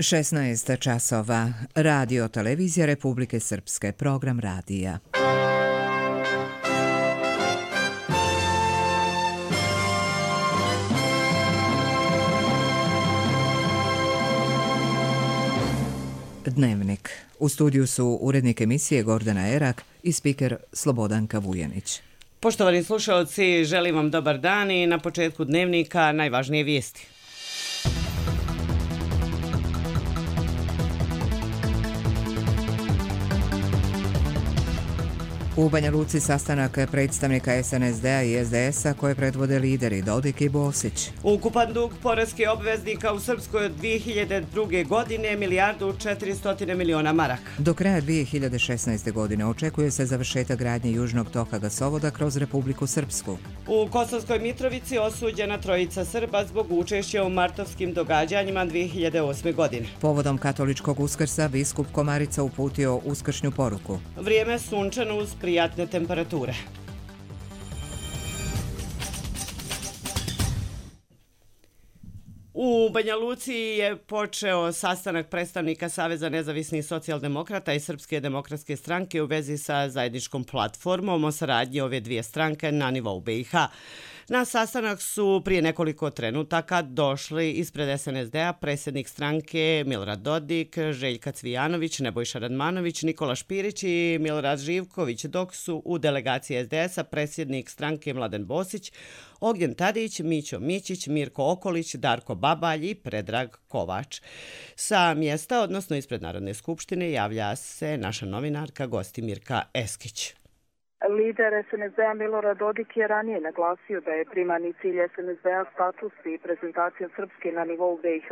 16 časova. Radio Televizija Republike Srpske. Program radija. Dnevnik. U studiju su urednik emisije Gordana Erak i spiker Slobodanka Vujanić. Poštovani slušalci, želim vam dobar dan i na početku dnevnika najvažnije vijesti. U Banja Luci sastanak predstavnika SNSD-a i SDS-a koje predvode lideri Dodik i Bosić. Ukupan dug poreskih obveznika u Srpskoj od 2002. godine $1.400.000.000 maraka. Do kraja 2016. godine očekuje se završetak gradnje južnog toka gasovoda kroz Republiku Srpsku. U Kosovskoj Mitrovici osuđena trojica Srba zbog učešća u martovskim događanjima 2008. godine. Povodom katoličkog Uskrsa biskup Komarica uputio uskršnju poruku. Vrijeme sunčano uz prijatne temperature. U Banja Luci je počeo sastanak predstavnika Saveza nezavisnih socijaldemokrata i Srpske demokratske stranke u vezi sa zajedničkom platformom o saradnji ove dvije stranke na nivou BiH. Na sastanak su prije nekoliko trenutaka došli ispred SNSD-a predsjednik stranke Milorad Dodik, Željka Cvijanović, Nebojša Radmanović, Nikola Špirić i Milorad Živković, dok su u delegaciji SDS-a predsjednik stranke Mladen Bosić, Ognjen Tadić, Mićo Mićić, Mirko Okolić, Darko Babalj i Predrag Kovač. Sa mjesta, odnosno ispred Narodne skupštine, javlja se naša novinarka Gostimirka Eskić. Lider SNSD-a Milorad Dodik je ranije naglasio da je primarni cilj SNSD-a status i prezentacija Srpske na nivou BiH.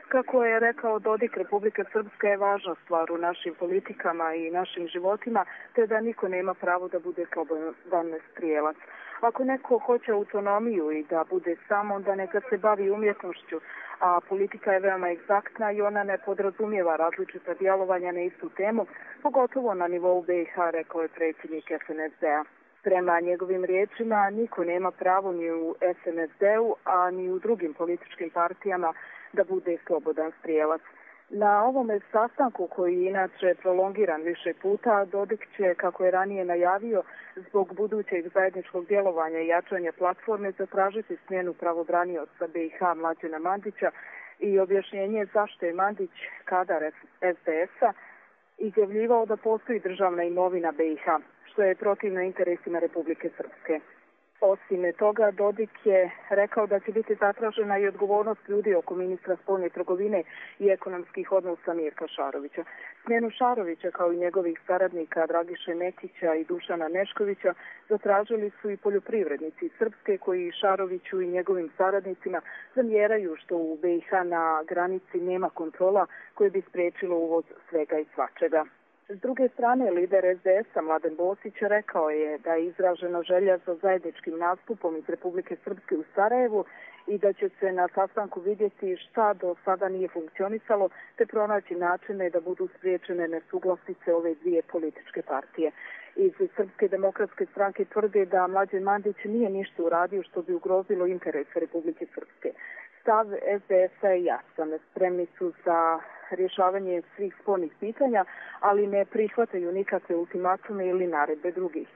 Kako je rekao Dodik, Republika Srpska je važna stvar u našim politikama i našim životima, te da niko nema pravo da bude slobodan strijelac. Ako neko hoće autonomiju i da bude sam, onda neka se bavi umjetnošću, a politika je veoma egzaktna i ona ne podrazumijeva različita djelovanja na istu temu, pogotovo na nivou BiH, rekao je predsjednik SNSD-a. Prema njegovim riječima, niko nema pravo ni u SNSD-u, a ni u drugim političkim partijama da bude slobodan strijelac. Na ovome sastanku, koji je inače prolongiran više puta, Dodik će, kako je ranije najavio, zbog budućeg zajedničkog djelovanja i jačanja platforme zatražiti smjenu pravobranioca BiH Mlađana Mandića i objašnjenje zašto je Mandić, kadar SDS-a, izjavljivao da postoji državna imovina BiH, što je protivno interesima Republike Srpske. Osim toga, Dodik je rekao da će biti zatražena i odgovornost ljudi oko ministra spoljne trgovine i ekonomskih odnosa Mirka Šarovića. Smjenu Šarovića, kao i njegovih saradnika Dragiše Nekića i Dušana Neškovića, zatražili su i poljoprivrednici Srpske, koji Šaroviću i njegovim saradnicima zamjeraju što u BiH na granici nema kontrola koje bi spriječilo uvoz svega i svačega. S druge strane, lider SDS-a Mladen Bosić rekao je da je izražena želja za zajedničkim nastupom iz Republike Srpske u Sarajevu i da će se na sastanku vidjeti šta do sada nije funkcionisalo, te pronaći načine da budu spriječene nesuglasice ove dvije političke partije. Iz Srpske demokratske stranke tvrde da Mlađan Mandić nije ništa uradio što bi ugrozilo interese Republike Srpske. Stav SDS-a je jasan. Spremni su za rješavanje svih spornih pitanja, ali ne prihvataju nikakve ultimatume ili naredbe drugih.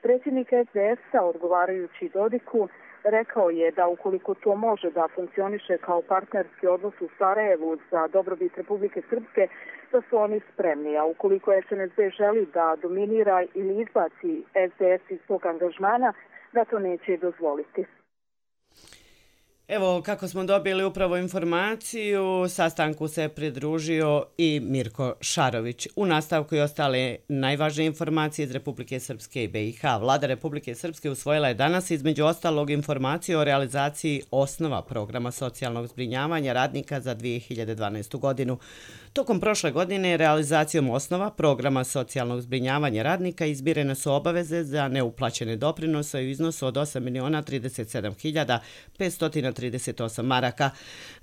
Predsjednik SDS-a, odgovarajući Dodiku, rekao je da ukoliko to može da funkcioniše kao partnerski odnos u Sarajevu za dobrobit Republike Srpske, da su oni spremni, a ukoliko SNSD želi da dominira ili izbaci SDS iz svog angažmana, da to neće dozvoliti. Evo, kako smo dobili upravo informaciju, sastanku se pridružio i Mirko Šarović. U nastavku i ostale najvažnije informacije iz Republike Srpske i BiH. Vlada Republike Srpske usvojila je danas između ostalog informaciju o realizaciji osnova programa socijalnog zbrinjavanja radnika za 2012. godinu. Tokom prošle godine realizacijom osnova programa socijalnog zbrinjavanja radnika izmirene su obaveze za neuplaćene doprinose u iznosu od 8.037.530 38 maraka.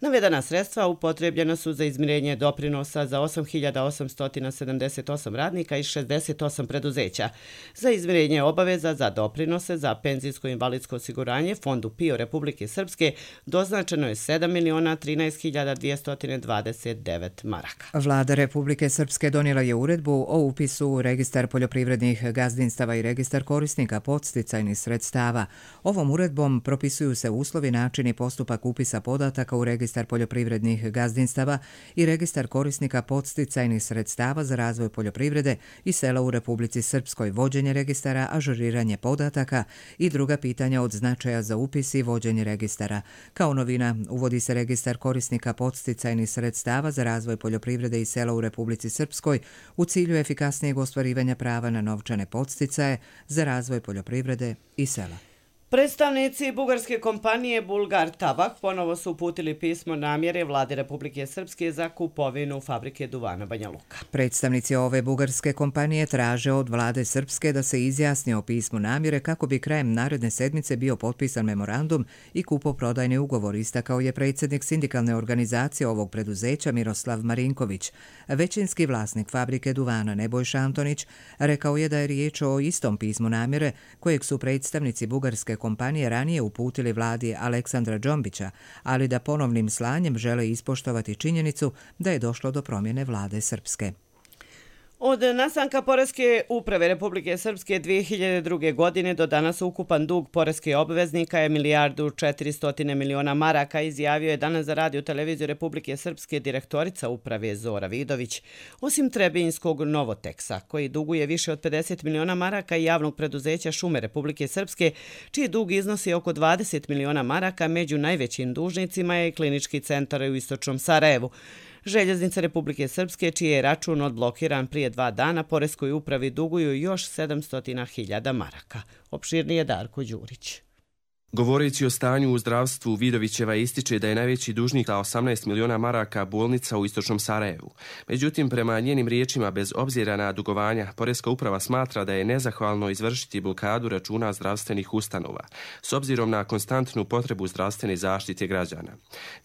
Navedena sredstva upotrebljena su za izmirenje doprinosa za 8.878 radnika i 68 preduzeća, za izmirenje obaveza za doprinose za penzijsko i invalidsko osiguranje Fondu PIO Republike Srpske doznačeno je 7.013.229 maraka. Vlada Republike Srpske donijela je uredbu o upisu u registar poljoprivrednih gazdinstava i registar korisnika podsticajnih sredstava. Ovom uredbom propisuju se uslovi, način i postupak upisa podataka u registar poljoprivrednih gazdinstava i registar korisnika podsticajnih sredstava za razvoj poljoprivrede i sela u Republici Srpskoj, vođenje registara, ažuriranje podataka i druga pitanja od značaja za upis i vođenje registara. Kao novina, uvodi se registar korisnika podsticajnih sredstava za razvoj poljoprivrede i sela u Republici Srpskoj u cilju efikasnijeg ostvarivanja prava na novčane podsticaje za razvoj poljoprivrede i sela. Predstavnici bugarske kompanije Bulgar Tabak ponovo su uputili pismo namjere Vlade Republike Srpske za kupovinu fabrike duvana Banja Luka. Predstavnici ove bugarske kompanije traže od Vlade Srpske da se izjasni o pismu namjere kako bi krajem naredne sedmice bio potpisan memorandum i kupoprodajni ugovor, istakao je predsjednik sindikalne organizacije ovog preduzeća Miroslav Marinković. Većinski vlasnik fabrike duvana Nebojša Antonić rekao je da je riječ o istom pismu namjere kojeg su predstavnici bugarske kompanije ranije uputili vladi Aleksandra Džombića, ali da ponovnim slanjem žele ispoštovati činjenicu da je došlo do promjene vlade Srpske. Od nastanka Poreske uprave Republike Srpske 2002. godine do danas ukupan dug poreskih obveznika je 1.400.000.000 maraka, izjavio je danas za radio televiziju Republike Srpske direktorica uprave Zora Vidović. Osim Trebinjskog Novoteksa, koji duguje više od 50 miliona maraka, i javnog preduzeća Šume Republike Srpske, čiji dug iznosi oko 20 miliona maraka, među najvećim dužnicima je Klinički centar u istočnom Sarajevu. Željeznice Republike Srpske, čiji je račun odblokiran prije 2 dana, Poreskoj upravi duguju još 700.000 maraka. Opširnije Darko Đurić. Govoreći o stanju u zdravstvu, Vidovićeva ističe da je najveći dužnik za 18 miliona maraka bolnica u istočnom Sarajevu. Međutim, prema njenim riječima, bez obzira na dugovanja, Poreska uprava smatra da je nezahvalno izvršiti blokadu računa zdravstvenih ustanova, s obzirom na konstantnu potrebu zdravstvene zaštite građana.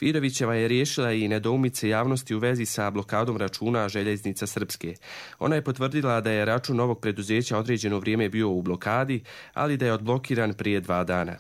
Vidovićeva je riješila i nedoumice javnosti u vezi sa blokadom računa Željeznica Srpske. Ona je potvrdila da je račun ovog preduzeća određeno vrijeme bio u blokadi, ali da je odblokiran prije 2 dana.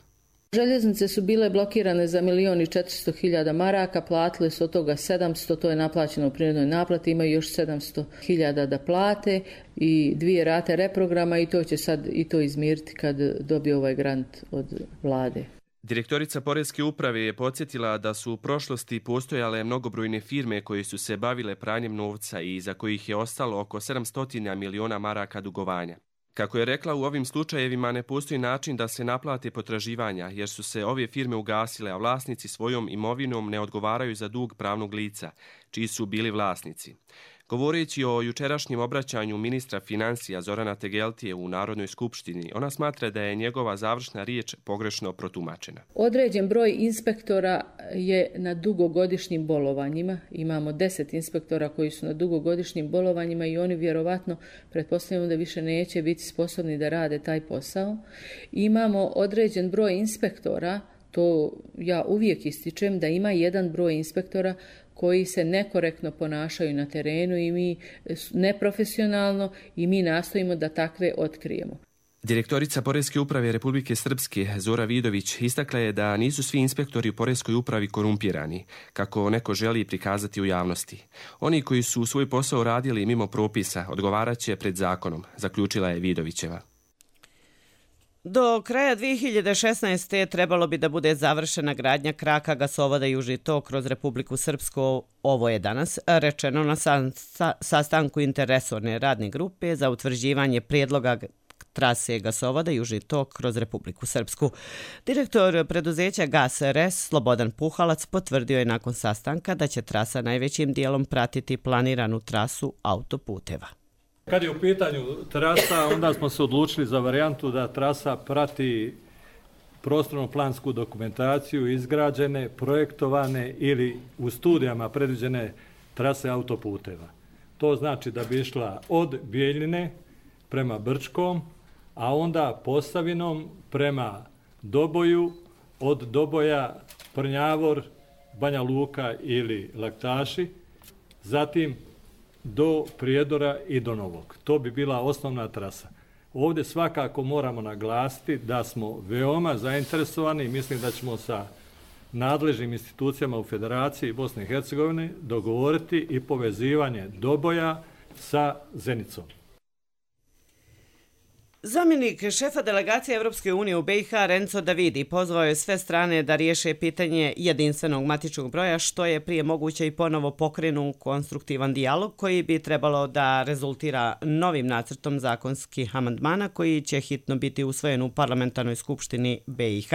Željeznice su bile blokirane za 1.400.000 maraka, platili su od toga 700, to je naplaćeno u prinudnoj naplati, imaju još 700.000 da plate i 2 rate reprograma i to će sad i to izmiriti kad dobije ovaj grant od vlade. Direktorica Poreske uprave je podsjetila da su u prošlosti postojale mnogobrojne firme koje su se bavile pranjem novca i za kojih je ostalo oko 700 miliona maraka dugovanja. Kako je rekla, u ovim slučajevima ne postoji način da se naplate potraživanja, jer su se ove firme ugasile, a vlasnici svojom imovinom ne odgovaraju za dug pravnog lica, čiji su bili vlasnici. Govoreći o jučerašnjem obraćanju ministra financija Zorana Tegeltije u Narodnoj skupštini, ona smatra da je njegova završna riječ pogrešno protumačena. Određen broj inspektora je na dugogodišnjim bolovanjima. Imamo 10 inspektora koji su na dugogodišnjim bolovanjima i oni vjerovatno, pretpostavljamo da više neće biti sposobni da rade taj posao. Imamo određen broj inspektora, to ja uvijek ističem, da ima jedan broj inspektora koji se nekorektno ponašaju na terenu i mi neprofesionalno i mi nastojimo da takve otkrijemo. Direktorica Poreske uprave Republike Srpske Zora Vidović istakla je da nisu svi inspektori u Poreskoj upravi korumpirani, kako neko želi prikazati u javnosti. Oni koji su svoj posao radili mimo propisa odgovarat će pred zakonom, zaključila je Vidovićeva. Do kraja 2016. trebalo bi da bude završena gradnja kraka gasovoda Južni tok kroz Republiku Srpsku. Ovo je danas rečeno na sastanku interresorne radne grupe za utvrđivanje prijedloga trase gasovoda Južni tok kroz Republiku Srpsku. Direktor preduzeća Gas RS Slobodan Puhalac potvrdio je nakon sastanka da će trasa najvećim dijelom pratiti planiranu trasu autoputeva. Kad je u pitanju trasa, onda smo se odlučili za varijantu da trasa prati prostorno-plansku dokumentaciju, izgrađene, projektovane ili u studijama predviđene trase autoputeva. To znači da bi išla od Bijeljine prema Brčkom, a onda Posavinom prema Doboju, od Doboja, Prnjavor, Banja Luka ili Laktaši, zatim do Prijedora i do Novog. To bi bila osnovna trasa. Ovdje svakako moramo naglasiti da smo veoma zainteresovani i mislim da ćemo sa nadležnim institucijama u Federaciji Bosne i Hercegovine dogovoriti i povezivanje Doboja sa Zenicom. Zamjenik šefa delegacije Evropske unije u BiH Renzo Davidi pozvao je sve strane da riješe pitanje jedinstvenog matičnog broja, što je prije moguće i ponovo pokrenu konstruktivan dijalog koji bi trebalo da rezultira novim nacrtom zakonskih amandmana koji će hitno biti usvojen u parlamentarnoj skupštini BiH.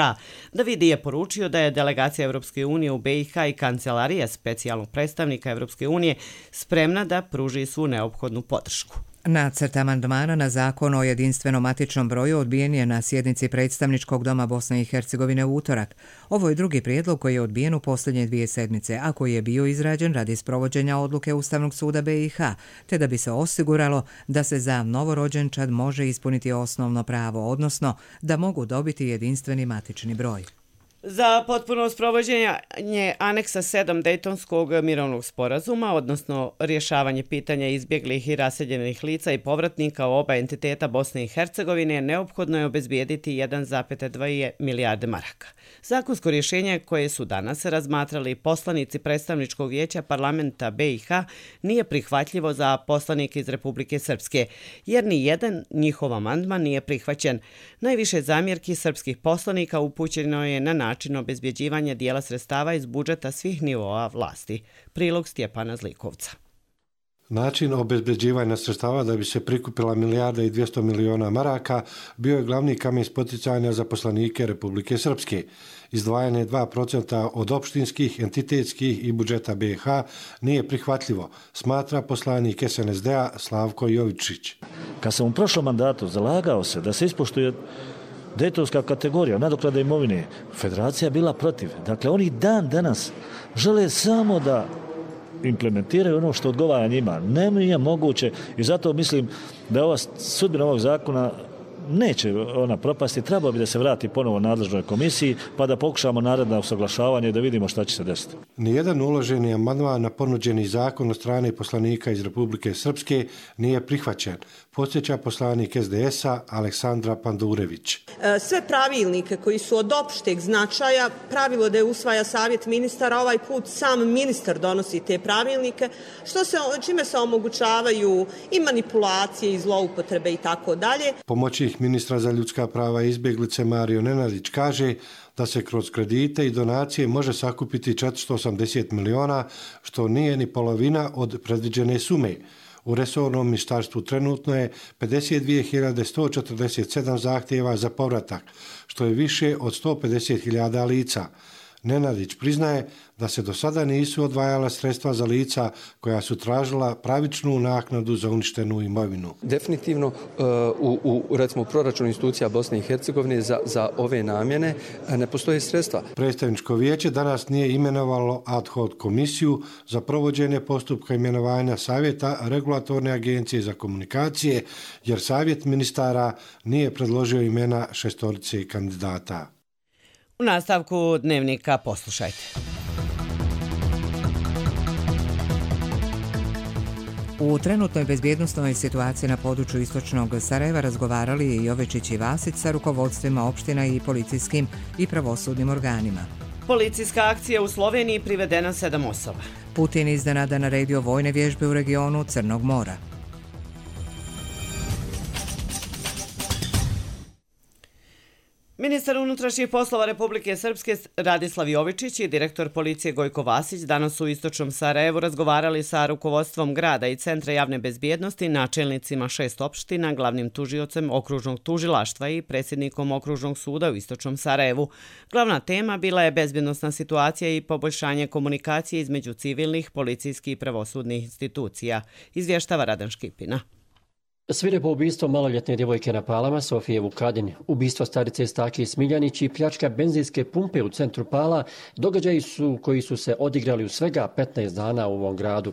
Davidi je poručio da je delegacija Evropske unije u BiH i kancelarija specijalnog predstavnika Evropske unije spremna da pruži svu neophodnu podršku. Nacrt amandmana na zakon o jedinstvenom matičnom broju odbijen je na sjednici predstavničkog doma Bosne i Hercegovine u utorak. Ovo je drugi prijedlog koji je odbijen u posljednje 2 sedmice, a koji je bio izrađen radi sprovođenja odluke Ustavnog suda BiH, te da bi se osiguralo da se za novorođenčad može ispuniti osnovno pravo, odnosno da mogu dobiti jedinstveni matični broj. Za potpuno sprovođenje aneksa 7 Dejtonskog mirovnog sporazuma, odnosno rješavanje pitanja izbjeglih i raseljenih lica i povratnika u oba entiteta Bosne i Hercegovine, neophodno je obezbijediti 1,2 milijarde maraka. Zakonsko rješenje koje su danas razmatrali poslanici predstavničkog vijeća parlamenta BiH nije prihvatljivo za poslanike iz Republike Srpske, jer ni jedan njihov amandman nije prihvaćen. Najviše zamjerki srpskih poslanika upućeno je na način obezbjeđivanja dijela sredstava iz budžeta svih nivoa vlasti. Prilog Stjepana Zlikovca. Način obezbeđivanja sredstava da bi se prikupila 1,2 milijarde maraka bio je glavni kamen spoticanja za poslanike Republike Srpske. Izdvajanje 2% od opštinskih, entitetskih i budžeta BiH nije prihvatljivo, smatra poslanik SNSD-a Slavko Jovičić. Kad sam u prošlom mandatu zalagao se da se ispoštuje Dejtonska kategorija nadoknade imovine, federacija je bila protiv. Dakle, oni dan danas žele samo da implementiraju ono što odgovara njima. Nije moguće i zato mislim da ova sudbina ovog zakona neće ona propasti, trebalo bi da se vrati ponovo nadležnoj komisiji pa da pokušamo naredno usaglašavanje i da vidimo šta će se desiti. Nijedan uloženi amandman na ponuđeni zakon od strane poslanika iz Republike Srpske nije prihvaćen, podsjeća poslanik SDS-a Aleksandra Pandurević. Sve pravilnike koji su od opšteg značaja, pravilo da je usvaja savjet ministara, ovaj put sam ministar donosi te pravilnike, čime se omogućavaju i manipulacije i zloupotrebe i tako dalje. Pomoćnik ministra za ljudska prava i izbjeglice Mario Nenadić kaže da se kroz kredite i donacije može sakupiti 480 miliona, što nije ni polovina od predviđene sume. U resornom ministarstvu trenutno je 52.147 zahtjeva za povratak, što je više od 150.000 lica. Nenadić priznaje da se do sada nisu odvajala sredstva za lica koja su tražila pravičnu naknadu za uništenu imovinu. Definitivno recimo proračun institucija Bosne i Hercegovine za ove namjene ne postoje sredstva. Predstavničko vijeće danas nije imenovalo ad hoc komisiju za provođenje postupka imenovanja savjeta regulatorne agencije za komunikacije, jer savjet ministara nije predložio imena 6 kandidata. U nastavku dnevnika poslušajte. U trenutnoj bezbjednosnoj situaciji na području istočnog Sarajeva razgovarali je Jovečić i Vasić sa rukovodstvima opština i policijskim i pravosudnim organima. Policijska akcija u Sloveniji privedena 7 osoba. Putin iznenada naredio vojne vježbe u regionu Crnog mora. Ministar unutrašnjih poslova Republike Srpske Radislav Jovičić i direktor policije Gojko Vasić danas u istočnom Sarajevu razgovarali sa rukovodstvom grada i Centra javne bezbjednosti, načelnicima 6 opština, glavnim tužiocem okružnog tužilaštva i predsjednikom okružnog suda u istočnom Sarajevu. Glavna tema bila je bezbjednosna situacija i poboljšanje komunikacije između civilnih, policijskih i pravosudnih institucija, izvještava Radan Škipina. Svirepo ubistvo maloljetne djevojke na Palama, Sofije Vukadin, ubistvo starice Stake Smiljanić i pljačka benzinske pumpe u centru Pala, događaji su koji su se odigrali u svega 15 dana u ovom gradu.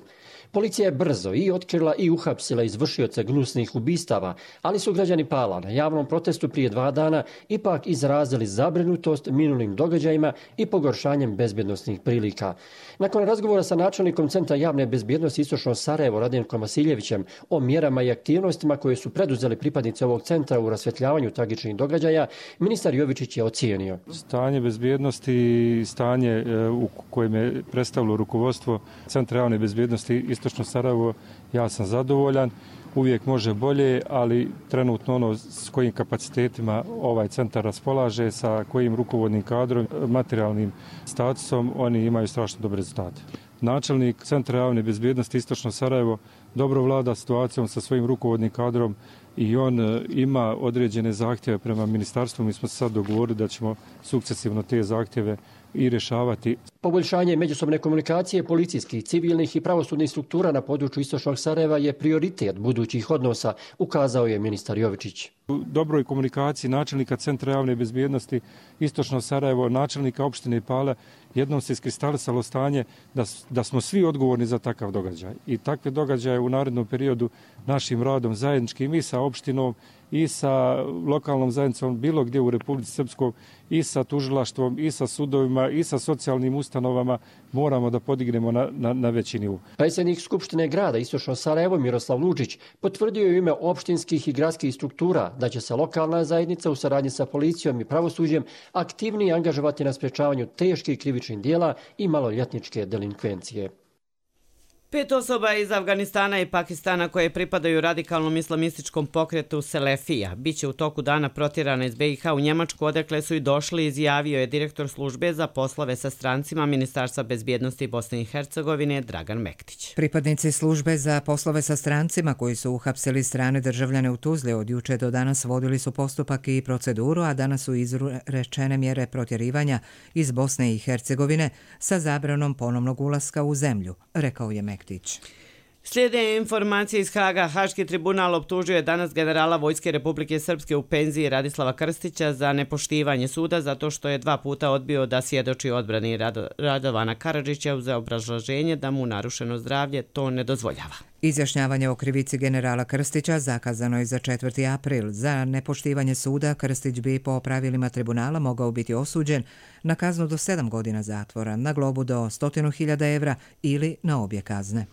Policija je brzo i otkrila i uhapsila izvršioce gnusnih ubistava, ali su građani Pala na javnom protestu prije 2 dana ipak izrazili zabrinutost minulim događajima i pogoršanjem bezbjednosnih prilika. Nakon razgovora sa načelnikom Centra javne bezbjednosti Istočno Sarajevo Radenkom Vasiljevićem o mjerama i aktivnostima koje su preduzeli pripadnici ovog centra u rasvjetljavanju tragičnih događaja, ministar Jovičić je ocijenio. Stanje bezbjednosti i stanje u kojem je predstavilo rukovodstvo Centra javne bezbjednosti Istočno Sarajevo, ja sam zadovoljan. Uvijek može bolje, ali trenutno ono s kojim kapacitetima ovaj centar raspolaže, sa kojim rukovodnim kadrom, materijalnim statusom, oni imaju strašno dobre rezultate. Načelnik Centra javne bezbjednosti Istočno Sarajevo dobro vlada situacijom sa svojim rukovodnim kadrom i on ima određene zahtjeve prema ministarstvu. Mi smo se sad dogovorili da ćemo sukcesivno te zahtjeve i rješavati. Poboljšanje međusobne komunikacije policijskih, civilnih i pravosudnih struktura na području Istočnog Sarajeva je prioritet budućih odnosa, ukazao je ministar Jovičić. U dobroj komunikaciji načelnika Centra javne bezbjednosti Istočno Sarajevo, načelnika opštine Pale, jednom se iskristalisalo stanje da smo svi odgovorni za takav događaj. I takve događaje u narednom periodu našim radom zajedničkim i sa opštinom i sa lokalnom zajednicom bilo gdje u Republici Srpskoj i sa tužilaštvom i sa sudovima i sa socijalnim ustanovama moramo da podignemo na veći nivo. Predsjednik Skupštine grada Istočno Sarajevo Miroslav Lučić potvrdio je u ime opštinskih i gradskih struktura da će se lokalna zajednica u saradnji sa policijom i pravosuđem aktivnije angažovati na sprečavanju teških krivičnih dijela i maloljetničke delinkvencije. 5 osoba iz Afganistana i Pakistana koje pripadaju radikalnom islamističkom pokretu Selefija biće u toku dana protjerane iz BiH u Njemačku, odakle su i došli, izjavio je direktor službe za poslove sa strancima Ministarstva bezbjednosti Bosne i Hercegovine Dragan Mektić. Pripadnici službe za poslove sa strancima koji su uhapsili strane državljane u Tuzli od juče do danas vodili su postupak i proceduru, a danas su izrečene mjere protjerivanja iz Bosne i Hercegovine sa zabranom ponovnog ulaska u zemlju, rekao je Mektić. Slijede informacije iz Haga. Haški tribunal optužio je danas generala Vojske Republike Srpske u penziji Radislava Krstića za nepoštivanje suda zato što je 2 puta odbio da svjedoči odbrani Radovana Karadžića uz obrazloženje da mu narušeno zdravlje to ne dozvoljava. Izjašnjavanje o krivici generala Krstića zakazano je za 4. april. Za nepoštivanje suda Krstić bi po pravilima tribunala mogao biti osuđen na kaznu do 7 godina zatvora, na globu do 100.000 evra ili na obje kazne.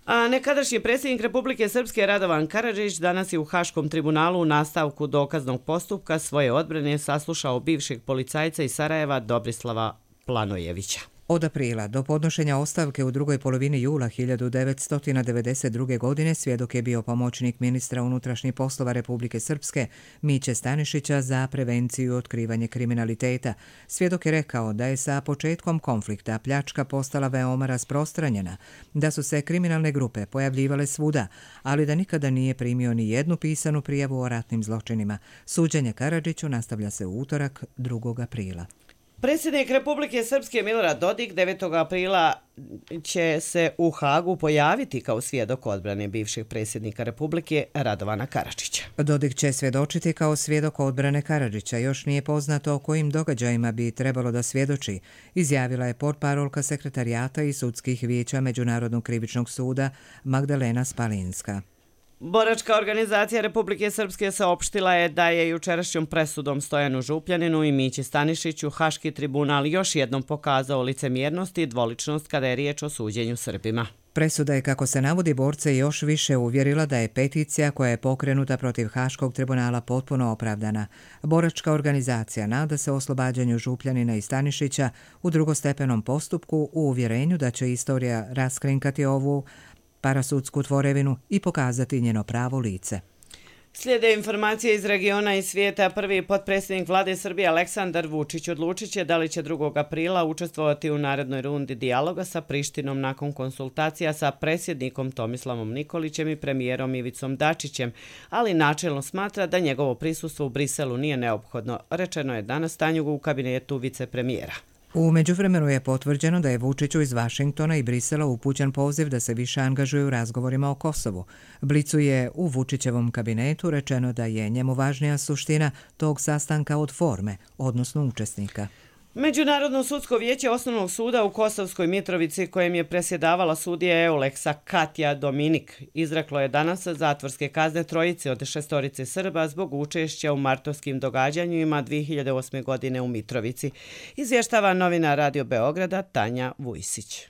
A nekadašnji predsjednik Republike Srpske Radovan Karadžić danas je u Haškom tribunalu u nastavku dokaznog postupka svoje odbrane saslušao bivšeg policajca iz Sarajeva Dobrislava Planojevića. Od aprila do podnošenja ostavke u drugoj polovini jula 1992. godine svjedok je bio pomoćnik ministra unutrašnjih poslova Republike Srpske Miće Stanišića za prevenciju i otkrivanje kriminaliteta. Svjedok je rekao da je sa početkom konflikta pljačka postala veoma rasprostranjena, da su se kriminalne grupe pojavljivale svuda, ali da nikada nije primio ni jednu pisanu prijavu o ratnim zločinima. Suđenje Karadžiću nastavlja se u utorak 2. aprila. Predsjednik Republike Srpske Milorad Dodik 9. aprila će se u Hagu pojaviti kao svjedok odbrane bivšeg predsjednika Republike Radovana Karadžića. Dodik će svjedočiti kao svjedok odbrane Karadžića. Još nije poznato o kojim događajima bi trebalo da svjedoči, izjavila je portparolka sekretarijata i sudskih vijeća Međunarodnog krivičnog suda Magdalena Spalinska. Boračka organizacija Republike Srpske saopštila je da je jučerašnjom presudom Stojanu Župljaninu i Mići Stanišiću Haški tribunal još jednom pokazao licemjernost i dvoličnost kada je riječ o suđenju Srbima. Presuda je, kako se navodi, borce još više uvjerila da je peticija koja je pokrenuta protiv Haškog tribunala potpuno opravdana. Boračka organizacija nada se oslobađanju Župljanina i Stanišića u drugostepenom postupku u uvjerenju da će istorija raskrinkati ovu parasudsku tvorevinu i pokazati njeno pravo lice. Slijede informacije iz regiona i svijeta. Prvi potpredsjednik vlade Srbije Aleksandar Vučić odlučit će da li će 2. aprila učestvovati u narednoj rundi dijaloga sa Prištinom nakon konsultacija sa predsjednikom Tomislavom Nikolićem i premijerom Ivicom Dačićem, ali načelno smatra da njegovo prisustvo u Briselu nije neophodno, rečeno je danas Tanjugu u kabinetu vicepremijera. U međuvremenu je potvrđeno da je Vučiću iz Vašingtona i Brisela upućen poziv da se više angažuje u razgovorima o Kosovu. Blicu je u Vučićevom kabinetu rečeno da je njemu važnija suština tog sastanka od forme, odnosno učesnika. Međunarodno sudsko vijeće Osnovnog suda u Kosovskoj Mitrovici, kojem je presjedavala sudija Euleksa Katja Dominik, izreklo je danas zatvorske kazne trojice od 6 Srba zbog učešća u martovskim događanjima 2008. godine u Mitrovici. Izvještava novinar Radio Beograda Tanja Vujsić.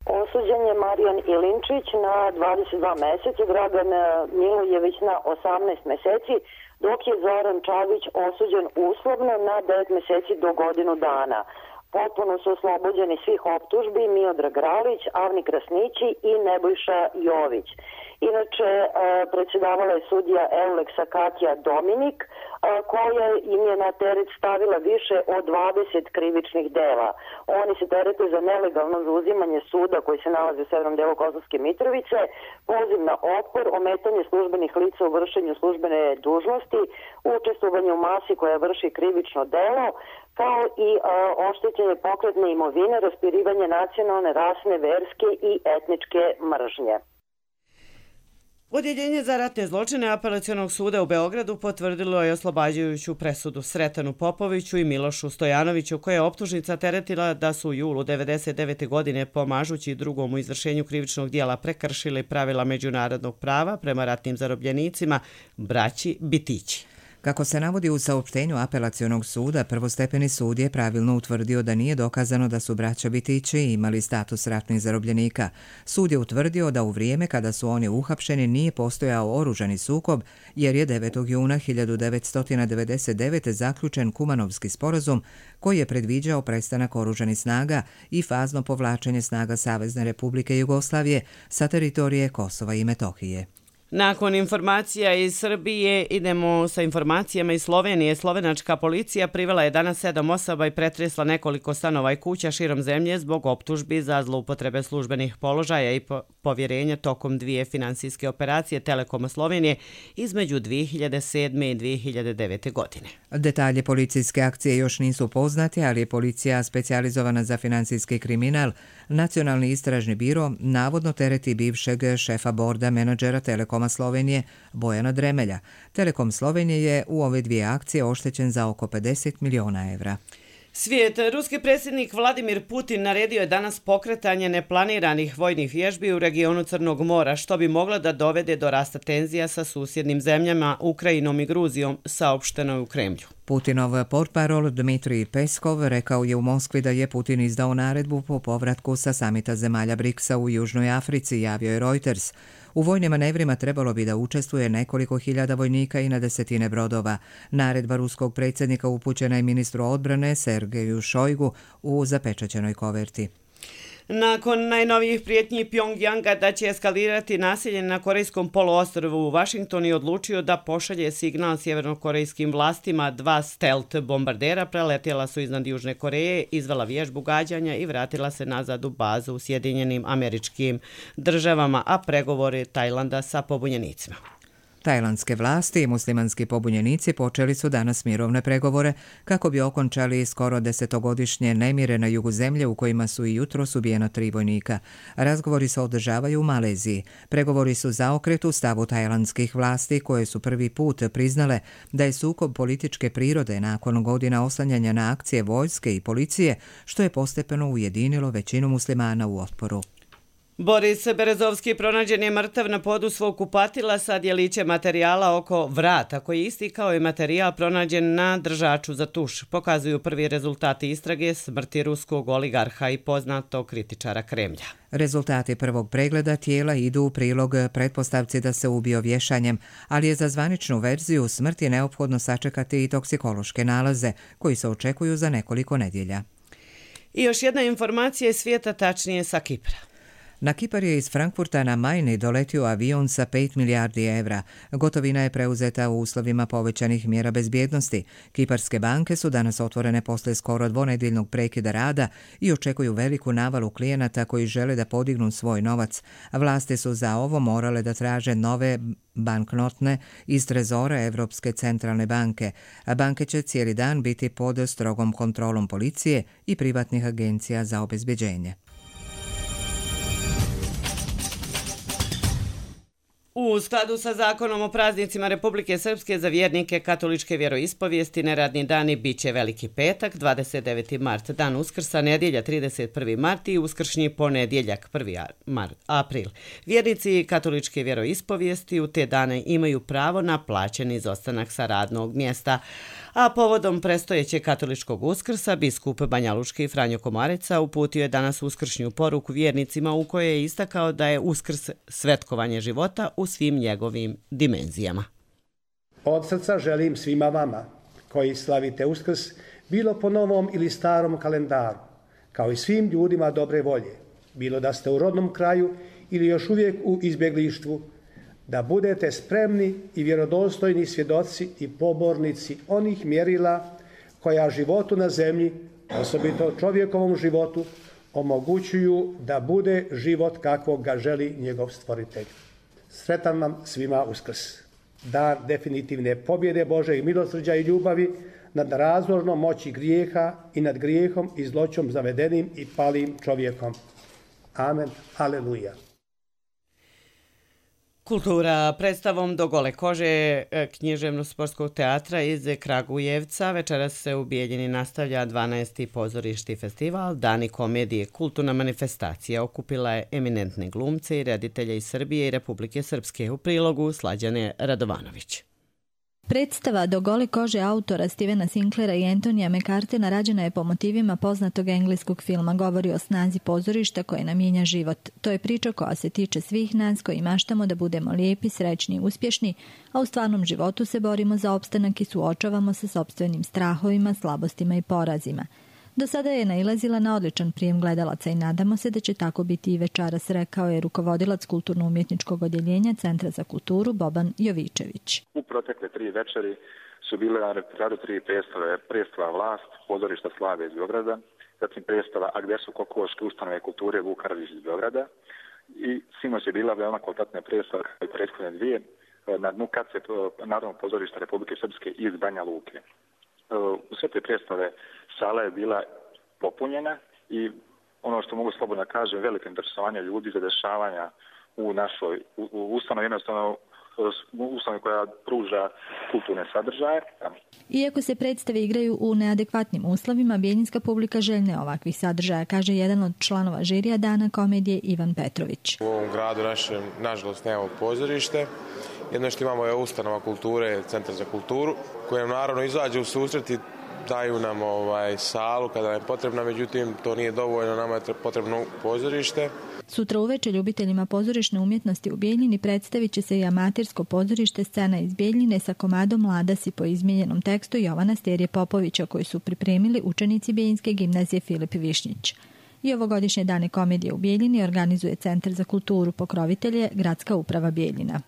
Osuđen je Marijan Ilinčić na 22 mjeseca, Dragan Milojević na 18 mjeseci, dok je Zoran Čavić osuđen uslovno na 9 mjeseci do godinu dana. Potpuno su oslobođeni svih optužbi Miodrag Ralić, Avni Krasnići i Nebojša Jović. Inače, predsjedavala je sudija Euleksa Katja Dominik, koja im je na teret stavila više od 20 krivičnih dela. Oni se terete za nelegalno zauzimanje suda koji se nalazi u severnom delu Kosovske Mitrovice, poziv na otpor, ometanje službenih lica u vršenju službene dužnosti, učestvovanje u masi koja vrši krivično delo, kao i oštećenje pokretne imovine, raspirivanje nacionalne, rasne, verske i etničke mržnje. Odjeljenje za ratne zločine Apelacionog suda u Beogradu potvrdilo je oslobađajuću presudu Sretanu Popoviću i Milošu Stojanoviću, koja je optužnica teretila da su u julu 1999. godine pomažući drugom u izvršenju krivičnog dijela prekršili pravila međunarodnog prava prema ratnim zarobljenicima, braći Bitići. Kako se navodi u saopštenju Apelacionog suda, prvostepeni sud je pravilno utvrdio da nije dokazano da su braća Bitići imali status ratnih zarobljenika. Sud je utvrdio da u vrijeme kada su oni uhapšeni nije postojao oružani sukob, jer je 9. juna 1999. zaključen Kumanovski sporazum koji je predviđao prestanak oružanih snaga i fazno povlačenje snaga Savezne Republike Jugoslavije sa teritorije Kosova i Metohije. Nakon informacija iz Srbije idemo sa informacijama iz Slovenije. Slovenačka policija privela je danas 7 osoba i pretresla nekoliko stanova i kuća širom zemlje zbog optužbi za zloupotrebe službenih položaja i povjerenja tokom 2 finansijske operacije Telekoma Slovenije između 2007. i 2009. godine. Detalje policijske akcije još nisu poznati, ali je policija specijalizovana za finansijski kriminal, Nacionalni istražni biro, navodno tereti bivšeg šefa borda menadžera Telekoma Slovenije Bojana Dremelja. Telekom Slovenije je u ove 2 akcije oštećen za oko 50 miliona evra. Svijet. Ruski predsjednik Vladimir Putin naredio je danas pokretanje neplaniranih vojnih vježbi u regionu Crnog mora, što bi moglo da dovede do rasta tenzija sa susjednim zemljama, Ukrajinom i Gruzijom, saopšteno je u Kremlju. Putinov portparol Dmitrij Peskov rekao je u Moskvi da je Putin izdao naredbu po povratku sa samita zemalja BRICS-a u Južnoj Africi, javio je Reuters. U vojnim manevrima trebalo bi da učestvuje nekoliko hiljada vojnika i na desetine brodova. Naredba ruskog predsjednika upućena je ministru odbrane Sergeju Šojgu u zapečaćenoj koverti. Nakon najnovijih prijetnji Pjongjanga da će eskalirati nasilje na Korejskom poluostrvu, Washington je odlučio da pošalje signal sjevernokorejskim vlastima. 2 stealth bombardera preletjela su iznad Južne Koreje, izvela vježbu gađanja i vratila se nazad u bazu u Sjedinjenim Američkim Državama, a pregovori Tajlanda sa pobunjenicima. Tajlandske vlasti i muslimanski pobunjenici počeli su danas mirovne pregovore kako bi okončali skoro 10-godišnje nemire na jugu zemlje u kojima su i jutros ubijena 3 vojnika. Razgovori se održavaju u Maleziji. Pregovori su zaokret u stavu tajlandskih vlasti koje su prvi put priznale da je sukob političke prirode nakon godina oslanjanja na akcije vojske i policije, što je postepeno ujedinilo većinu muslimana u otporu. Boris Berezovski pronađen je mrtav na podu svog kupatila sa djelićem materijala oko vrata, koji je isti kao i materijal pronađen na držaču za tuš. Pokazuju prvi rezultati istrage smrti ruskog oligarha i poznatog kritičara Kremlja. Rezultati prvog pregleda tijela idu u prilog pretpostavci da se ubio vješanjem, ali je za zvaničnu verziju smrti neophodno sačekati i toksikološke nalaze, koji se očekuju za nekoliko nedjelja. I još jedna informacija iz svijeta, tačnije sa Kipra. Na Kipar je iz Frankfurta na Majni doletio avion sa 5 milijardi evra. Gotovina je preuzeta u uslovima povećanih mjera bezbjednosti. Kiparske banke su danas otvorene posle skoro dvonedjeljnog prekida rada i očekuju veliku navalu klijenata koji žele da podignu svoj novac. Vlasti su za ovo morale da traže nove banknotne iz trezora Evropske centralne banke. Banke će cijeli dan biti pod strogom kontrolom policije i privatnih agencija za obezbeđenje. U skladu sa zakonom o praznicima Republike Srpske za vjernike katoličke vjeroispovijesti neradni dani bit će Veliki petak, 29. mart, dan Uskrsa, nedjelja 31. mart i uskršnji ponedjeljak 1. april. Vjernici katoličke vjeroispovijesti u te dane imaju pravo na plaćeni izostanak sa radnog mjesta, a povodom prestojećeg katoličkog Uskrsa biskup banjalučki Franjo Komareca uputio je danas uskršnju poruku vjernicima u kojoj je istakao da je Uskrs svetkovanje života u svim njegovim dimenzijama. Od srca želim svima vama koji slavite Uskrs, bilo po novom ili starom kalendaru, kao i svim ljudima dobre volje, bilo da ste u rodnom kraju ili još uvijek u izbjeglištvu, da budete spremni i vjerodostojni svjedoci i pobornici onih mjerila koja životu na zemlji, osobito čovjekovom životu, omogućuju da bude život kakvog ga želi njegov stvoritelj. Sretan vam svima Uskrs, dan definitivne pobjede Božeg milosrđa i ljubavi nad razložnom moći grijeha i nad grijehom i zloćom zavedenim i palim čovjekom. Amen. Aleluja. Kultura predstavom Do gole kože književno-sportskog teatra iz Kragujevca večeras se u Bijeljini nastavlja 12. pozorišni festival Dani komedije. Kulturna manifestacija okupila je eminentne glumce i reditelje iz Srbije i Republike Srpske, u prilogu Slađane Radovanović. Predstava Do gole kože autora Stevena Sinklera i Antonija McCartena rađena je po motivima poznatog engleskog filma. Govori o snazi pozorišta koje nam mijenja život. To je priča koja se tiče svih nas koji maštamo da budemo lijepi, srećni i uspješni, a u stvarnom životu se borimo za opstanak i suočavamo se sopstvenim strahovima, slabostima i porazima. Do sada je nailazila na odličan prijem gledalaca i nadamo se da će tako biti i večeras, rekao je rukovodilac kulturno-umjetničkog odjeljenja Centra za kulturu Boban Jovičević. U protekle 3 večeri su bile na repertoaru 3 predstave. Predstava Vlast, pozorišta Slave iz Beograda, zatim predstava A gdje su kokoške, ustanove kulture Vuk Karadžić iz Beograda i sinoć je bila veoma kvalitetna predstava kao i prethodne 2 na dnu Kace Narodnog pozorišta Republike Srpske iz Banja Luke. U sve te predstave sala je bila popunjena i ono što mogu slobodno kažem, veliko interesovanje ljudi za dešavanja u našoj ustanovi, jednostavno ustanovi koja pruža kulturne sadržaje. Iako se predstave igraju u neadekvatnim uslovima, bijeljinska publika željna je ovakvih sadržaja, kaže jedan od članova žirija Dana komedije Ivan Petrović. U ovom gradu našem, nažalost, nemamo pozorište. Jedno što imamo je ustanova kulture, Centar za kulturu, kojem naravno izađe u susret i daju nam salu kada je potrebna, međutim to nije dovoljno, nama je potrebno pozorište. Sutra uveče ljubiteljima pozorišne umjetnosti u Bijeljini predstavit će se i amatersko pozorište Scena iz Bijeljine sa komadom Mladasi po izmijenjenom tekstu Jovana Sterije Popovića koji su pripremili učenici Bijeljinske gimnazije Filip Višnjić. I ovogodišnje dane komedije u Bijeljini organizuje Centar za kulturu, pokrovitelje Gradska uprava Bijeljina.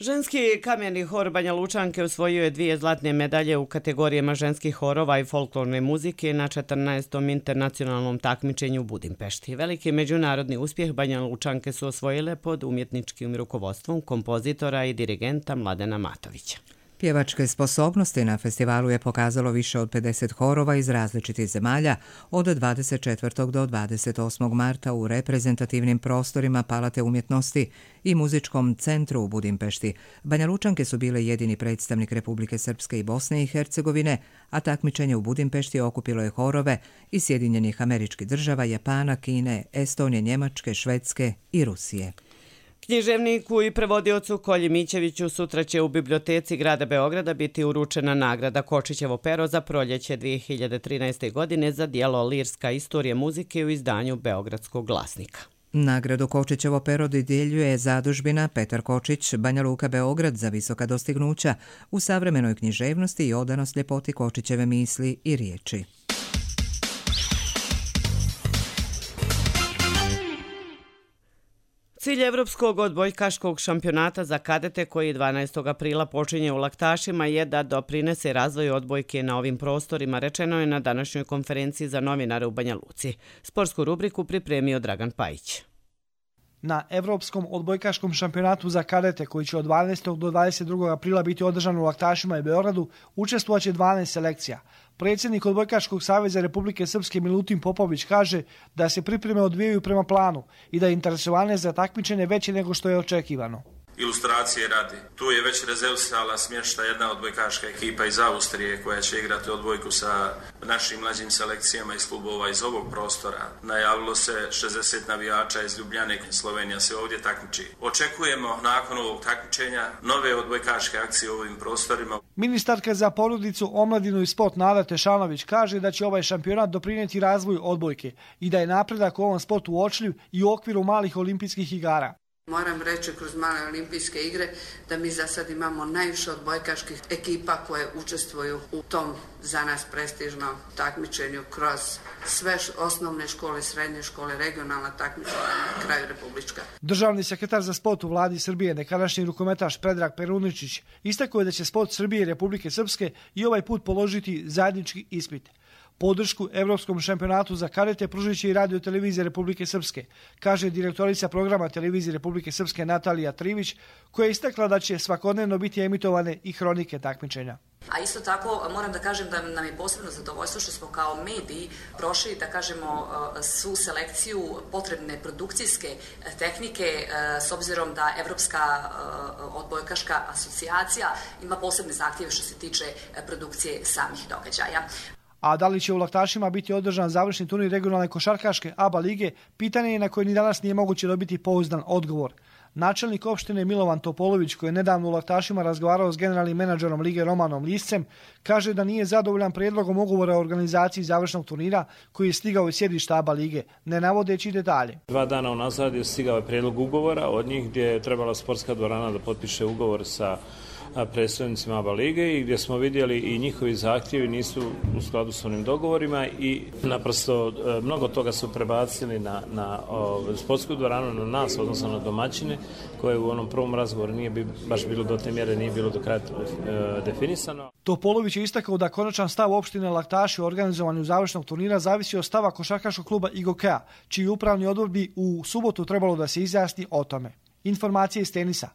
Ženski kameni hor Banja Lučanke osvojio je 2 zlatne medalje u kategorijama ženskih horova i folklorne muzike na 14. internacionalnom takmičenju u Budimpešti. Veliki međunarodni uspjeh Banja Lučanke su osvojile pod umjetničkim rukovodstvom kompozitora i dirigenta Mladena Matovića. Pjevačke sposobnosti na festivalu je pokazalo više od 50 horova iz različitih zemalja od 24. do 28. marta u reprezentativnim prostorima Palate umjetnosti i muzičkom centru u Budimpešti. Banja Lučanke su bile jedini predstavnik Republike Srpske i Bosne i Hercegovine, a takmičenje u Budimpešti okupilo je horove iz Sjedinjenih Američkih Država, Japana, Kine, Estonije, Njemačke, Švedske i Rusije. Književniku i prevodiocu Kolji Mićeviću sutra će u biblioteci grada Beograda biti uručena nagrada Kočićevo pero za proljeće 2013. godine za djelo Lirska istorija muzike u izdanju Beogradskog glasnika. Nagradu Kočićevo pero dodjeljuje zadužbina Petar Kočić, Banja Luka Beograd za visoka dostignuća u savremenoj književnosti i odanost ljepoti Kočićeve misli i riječi. Cilj Evropskog odbojkaškog šampionata za kadete koji 12. aprila počinje u Laktašima je da doprinese razvoju odbojke na ovim prostorima, rečeno je na današnjoj konferenciji za novinare u Banja Luci. Sportsku rubriku pripremio Dragan Pajić. Na Evropskom odbojkaškom šampionatu za kadete, koji će od 12. do 22. aprila biti održan u Laktašima i Beogradu, učestvovaće 12 selekcija. Predsjednik Odbojkaškog saveza Republike Srpske Milutin Popović kaže da se pripreme odvijaju prema planu i da je interesovanje za takmičenje veće nego što je očekivano. Ilustracije radi. Tu je već rezervisala smješta jedna odbojkaška ekipa iz Austrije koja će igrati odbojku sa našim mlađim selekcijama iz klubova iz ovog prostora. Najavilo se 60 navijača iz Ljubljane, Slovenija se ovdje takmiči. Očekujemo nakon ovog takmičenja nove odbojkaške akcije u ovim prostorima. Ministarka za porodicu, omladinu i sport Nada Tešanović kaže da će ovaj šampionat doprinijeti razvoju odbojke i da je napredak u ovom sportu uočljiv i u okviru malih olimpijskih igara. Moram reći kroz male olimpijske igre da mi za sad imamo najviše odbojkaških ekipa koje učestvuju u tom za nas prestižnom takmičenju kroz sve osnovne škole, srednje škole, regionalna takmičenja na kraju republička. Državni sekretar za sport u vladi Srbije, nekadašnji rukometaš Predrag Peruničić, istakao je da će sport Srbije i Republike Srpske i ovaj put položiti zajednički ispit. Podršku Evropskom šampionatu za kadete pružit će i Radio televizije Republike Srpske, kaže direktorica programa Televizije Republike Srpske Natalija Trivić, koja je istakla da će svakodnevno biti emitovane i hronike takmičenja. A isto tako moram da kažem da nam je posebno zadovoljstvo što smo kao mediji prošli, da kažemo, svu selekciju potrebne produkcijske tehnike s obzirom da Evropska odbojkaška asocijacija ima posebne zahtjeve što se tiče produkcije samih događaja. A da li će u Laktašima biti održan završni turnir regionalne košarkaške ABA lige, pitanje je na koje ni danas nije moguće dobiti pouzdan odgovor. Načelnik opštine Milovan Topolović, koji je nedavno u Laktašima razgovarao s generalnim menadžerom lige Romanom Liscem, kaže da nije zadovoljan prijedlogom ugovora o organizaciji završnog turnira koji je stigao iz sjedišta ABA lige, ne navodeći detalje. 2 dana unazad je stigao prijedlog ugovora od njih gdje je trebala sportska dvorana da potpiše ugovor sa predstavnicima ABA lige i gdje smo vidjeli i njihovi zahtjevi nisu u skladu s onim dogovorima i naprosto mnogo toga su prebacili na sportsku dvoranu, na nas, odnosno na domaćine, koje u onom prvom razgovoru nije baš bilo do te mjere, nije bilo do kraja definisano. Topolović je istakao da konačan stav opštine Laktaši o organizovanju završnog turnira zavisi od stava košarkaškog kluba IGOK-a, čiji upravni odbor bi u subotu trebalo da se izjasni o tome. Informacije iz tenisa.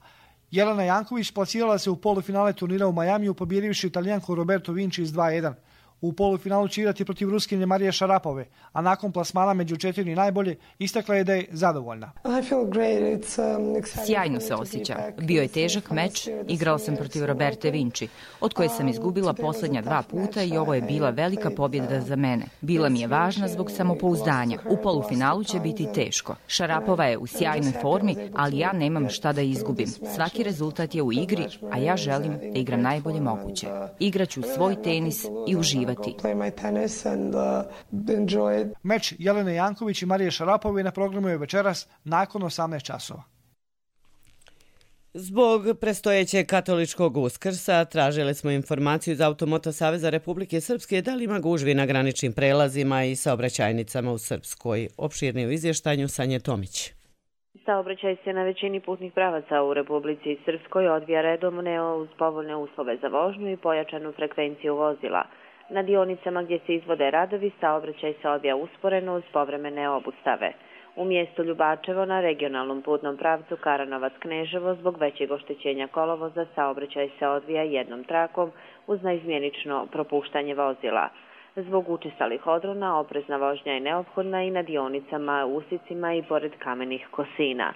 Jelena Janković plasirala se u polufinale turnira u Majamiju pobjedivši Italijanku Roberto Vinci iz 2-1. U polufinalu će igrati protiv Ruskinje Marije Šarapove, a nakon plasmana među 4 najbolje istakla je da je zadovoljna. Sjajno se osjećam. Bio je težak meč, igrao sam protiv Roberte Vinci, od koje sam izgubila posljednja 2 puta i ovo je bila velika pobjeda za mene. Bila mi je važna zbog samopouzdanja. U polufinalu će biti teško. Šarapova je u sjajnoj formi, ali ja nemam šta da izgubim. Svaki rezultat je u igri, a ja želim da igram najbolje moguće. Igraću svoj tenis i uživati. Meč Jelene Janković i Marije Šarapove na programu je večeras nakon 18 časova. Zbog prestojećeg katoličkog Uskrsa tražili smo informaciju iz Automoto Saveza Republike Srpske da li ima gužvi na graničnim prelazima i saobraćajnicama u Srpskoj. Opširnije u izvještanju Sanje Tomić. Saobraćaj se na većini putnih pravaca u Republici Srpskoj odvija redovno uz povoljne uslove za vožnju i pojačanu frekvenciju vozila. Na dionicama gdje se izvode radovi, saobraćaj se odvija usporeno uz povremene obustave. U mjestu Ljubačevo na regionalnom putnom pravcu Karanovac-Kneževo zbog većeg oštećenja kolovoza saobraćaj se odvija jednom trakom uz naizmjenično propuštanje vozila. Zbog učestalih odrona oprezna vožnja je neophodna i na dionicama, usicima i pored kamenih kosina.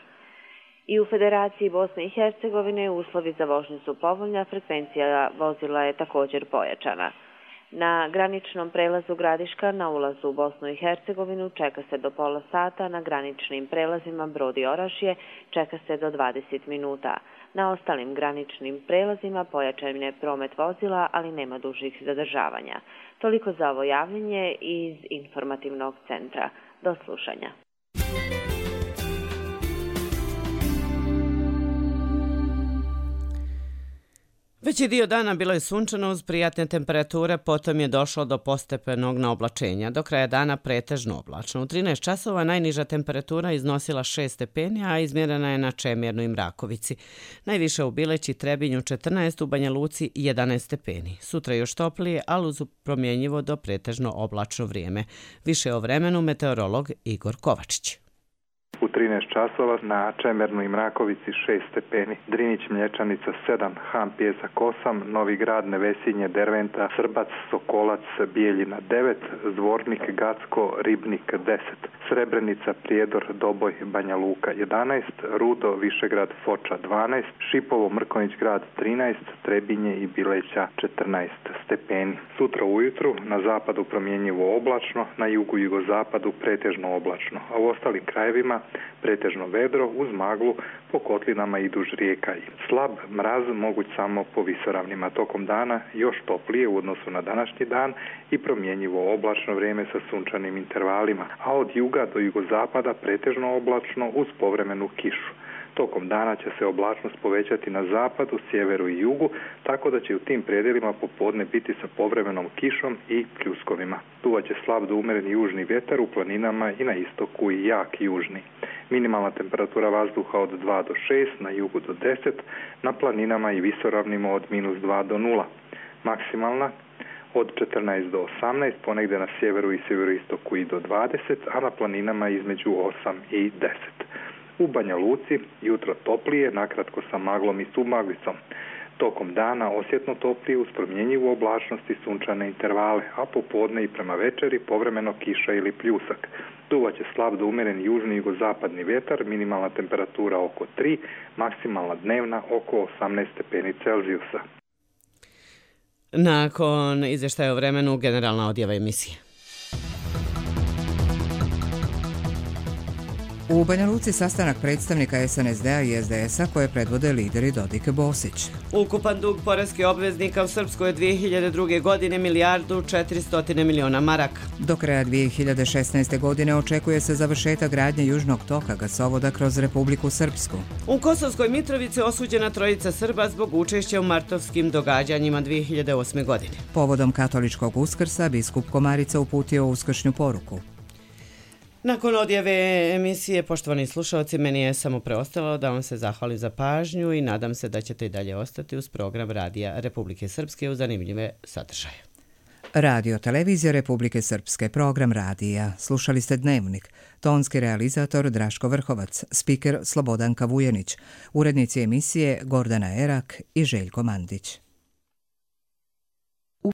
I u Federaciji Bosne i Hercegovine uslovi za vožnju su povoljni, a frekvencija vozila je također pojačana. Na graničnom prelazu Gradiška na ulazu u Bosnu i Hercegovinu čeka se do pola sata, na graničnim prelazima Brod i Orašje čeka se do 20 minuta. Na ostalim graničnim prelazima pojačan je promet vozila, ali nema dužih zadržavanja. Toliko za ovo javljanje iz informativnog centra. Do slušanja. Veći dio dana bilo je sunčano uz prijatne temperature, potom je došlo do postepenog naoblačenja. Do kraja dana pretežno oblačno. U 13 časova najniža temperatura iznosila 6 stepeni, a izmjerena je na Čemirnu i Mrakovici. Najviše u Bileći, Trebinju 14, u Banja Luci 11 stepeni. Sutra još toplije, ali uz promjenjivo do pretežno oblačno vrijeme. Više o vremenu meteorolog Igor Kovačić. U 13 časova, na Čemernoj i Mrakovici 6 stepeni, Drinić Mlječanica 7, Han Pjesak 8, Novi Grad, Nevesinje, Derventa, Srbac, Sokolac, Bijeljina 9, Zvornik, Gacko, Ribnik 10, Srebrenica, Prijedor, Doboj, Banja Luka 11, Rudo, Višegrad, Foča 12, Šipovo, Mrkonjić Grad 13, Trebinje i Bileća 14 stepeni. Sutra ujutru na zapadu promjenjivo oblačno, na jugu i jugozapadu pretežno oblačno, a u ostalim krajevima pretežno vedro uz maglu po kotlinama i duž rijeka. Slab mraz moguć samo po visoravnima. Tokom dana još toplije u odnosu na današnji dan i promjenjivo oblačno vrijeme sa sunčanim intervalima, a od juga do jugozapada pretežno oblačno uz povremenu kišu. Tokom dana će se oblačnost povećati na zapadu, sjeveru i jugu, tako da će u tim predjelima popodne biti sa povremenom kišom i pljuskovima. Duvaće slab do umjereni južni vjetar u planinama i na istoku i jak južni. Minimalna temperatura vazduha od 2 do 6, na jugu do 10, na planinama i visoravnima od -2 do 0. Maksimalna od 14 do 18, ponegdje na sjeveru i sjeveroistoku i do 20, a na planinama između 8 i 10. U Banja Luci jutro toplije, nakratko sa maglom i submaglicom. Tokom dana osjetno toplije uz promjenjivu oblačnost i sunčane intervale, a popodne i prema večeri povremeno kiša ili pljusak. Duvaće slab do umjeren južni i jugozapadni vjetar, minimalna temperatura oko 3, maksimalna dnevna oko 18 stepeni Celzijusa. Nakon izvještaja o vremenu, generalna odjava emisije. U Banja Luci sastanak predstavnika SNSD-a i SDS-a koje predvode lideri Dodik Bosić. Ukupan dug poreskih obveznika u Srpskoj je 2002. godine $1.400 miliona. Do kraja 2016. godine očekuje se završetak gradnje južnog toka gasovoda kroz Republiku Srpsku. U Kosovskoj Mitrovici osuđena trojica Srba zbog učešća u martovskim događanjima 2008. godine. Povodom katoličkog Uskrsa biskup Komarica uputio uskršnju poruku. Nakon odjave emisije, poštovani slušalci, meni je samo preostalo da vam se zahvalim za pažnju i nadam se da ćete i dalje ostati uz program Radija Republike Srpske uz zanimljive sadržaje. Radio Televizija Republike Srpske, program radija. Slušali ste Dnevnik. Tonski realizator Draško Vrhovac, spiker Slobodanka Vujenić, urednici emisije Gordana Erak i Željko Mandić.